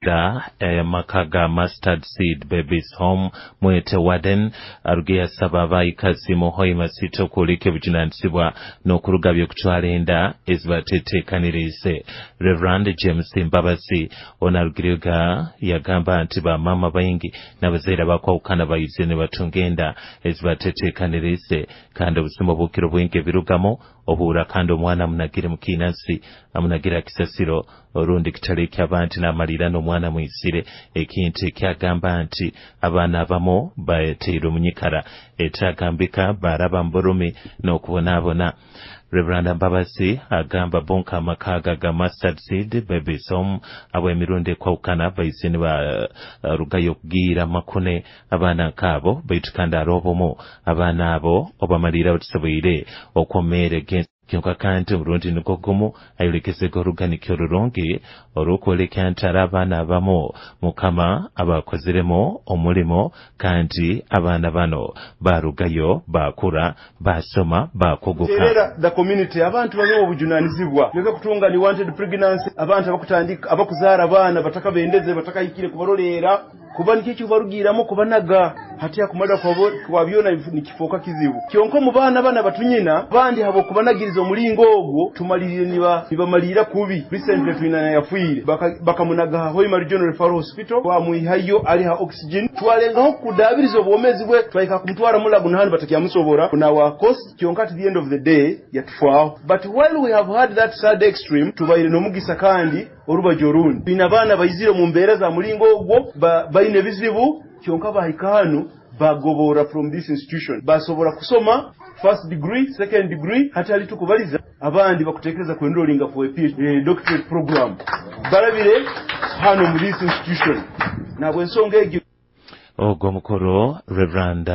Akwebembera amaka ga Mustard Seed Babies Home, Mwete Warden, aruge yasaba abaikazi mu Hoima City okwoleka obujunanizibwa n'okurugabya okutwara enda ezibateteekaniriize. Reverend James Mbabazi ono arugirega yagamba nti bamama baingi n'abazaire abakwawukana baize nibatunga enda ezibateteekaniriize, kandi obusuma obukiro bwingi ebirugamu obuura kandi omwana amunagire mukiinasi, amunagira kisasiro orundi kitali eky'abantu n'amalira n'omwana mwisire, ekintu ekyagamba nti abaana abamu bateirwe omunyikara etagambika, baraba mu burumi n'okubonaabona. Reverend Mbabazi agamba bonka amaka ga Mustard Seed Babies Home ab'emirundi ekwawukana baize nibarugayo okugiira makune abaana nkaabo, baitu kandi ari obumu abaana abo obamalira batusoboire okwomeera kyonka kandi omurundi nigwo gumu ayolekezega oruganikyo orurungi orw'okwoleka nti ari abaana abamu Mukama abakoziremu omulimo, kandi abaana bano barugayo bakura, basoma, bakuguka. Terera the community, abantu babeho obujunanizibwa, leke kutunga ni wanted pregnancy, abantu abakutandika abakuzaara abaana batakabendeze, batakahikire kubaroleera, kuba nikyo kibarugiramu kubanaga hati akumala kwa byona nikifoka kizibu. Kyonka mu baana bana batunyina bandi habo kubanagiriza omulingo ogwo tumalirire nibamalira kubi. Recently twina yafuire bakamunaga Hoima Regional Referral Hospital, bamwihayo ali ha oxygen, twalengaho kudabiriza obwomezi bwe, twaika kumutwara Mulago nahandi batakyamusobora na cost. Kyonka at the end of the day yatufaaho. But while we have had that sad extreme, tubaire n'omugisa kandi orubajo orundi twina abaana baizire mu mbeera za mulingo ogwo, baine ebizibu, kyonka bahika hanu bagobora from this institution, basobora kusoma first degree, second degree, hati ali tukubaliza abandi bakutekereza ku enrolling for a PhD, doctorate program, barabire hano mu this institution. Nabwo ensonga egyo. Ogwo mukuru Reverend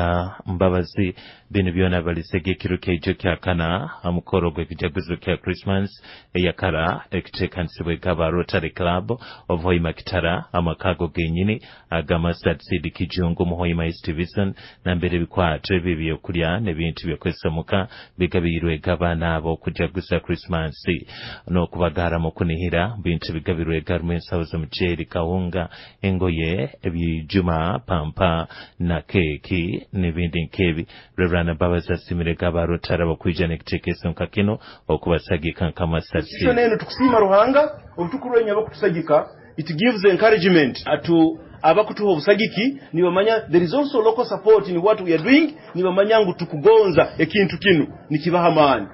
Mbabazi bino byona balisege ekiro kyaijo kyakana omukoro gw'ekijaguzo kya Christmas eyakara ekiteekanisibwe gaba Rotary Club of Hoima Kitara, amakago genyini aga Mustard Seed Kijungu mu Hoima East Division, nambere ebikwato ebi ebyokulya n'ebintu byokwesomuka bigabirwe g'abaana abo okujaguza Christmas n'okubagara mu kunihira. Bintu bigabirwe garimu ensawo z'omuceeri, kawunga, engoye, ebijuma, pampa na keeki n'ebindi nk'ebi. Reverend Mbabazi asimire gaba Rotary abakwija n'ekiteekeso nka kino okubasagika nka Mustard Seed. Neno tukusiima Ruhanga obutukurwenya abakutusagika, it gives encouragement to abakutuha obusagiki, nibamanya there is also local support in what we are doing, nibamanya ngu tukugonza ekintu kinu nikibaha amaani.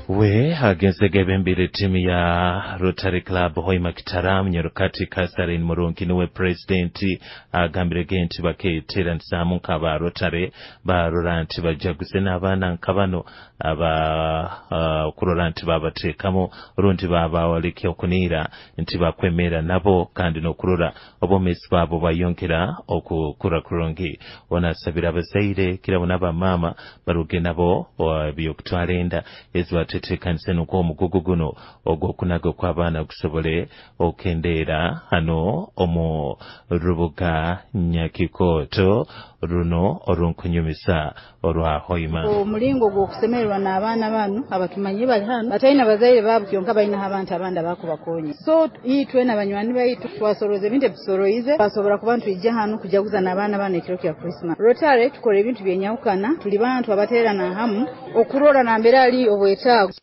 We agenzega ebembere timu ya Rotary Club Hoima Kitara, Munyarukati Catherine Murungi niwe president, agambire nti baketeeranisaamu nk'aba Rotary barora nti bajaguze n'abaana nka bano aba kurora nti babateekamu rundi babawaleke okuniira nti bakwemera nabo, kandi n'okurora obwomeezi bwabo bayongera okukura kurungi. Onasabira abazaire kirabo n'abamaama baruge nabo byokutwara enda ezibateteekanise nukwo omugugu guno ogw'okunaga kw'abaana gusobole okendeera hano omu rubuga Nyakikooto runo orunkunyumisa orwa Hoima. Omulingo gw'okusemererwa n'abaana bano abatumanyi bali hano batalina bazaire baabo, kyonka balina abantu abandi abakubakonya. So itwe n'abanywani baitu twasoroza ebintu ebisoroize, twasobora kuba ntwijja hano kujaguza n'abaana bano ekiro kya Christmas. Rotary tukora ebintu byenyawukana, tuli bantu abateerana hamu okurora nambere ali obwetaago.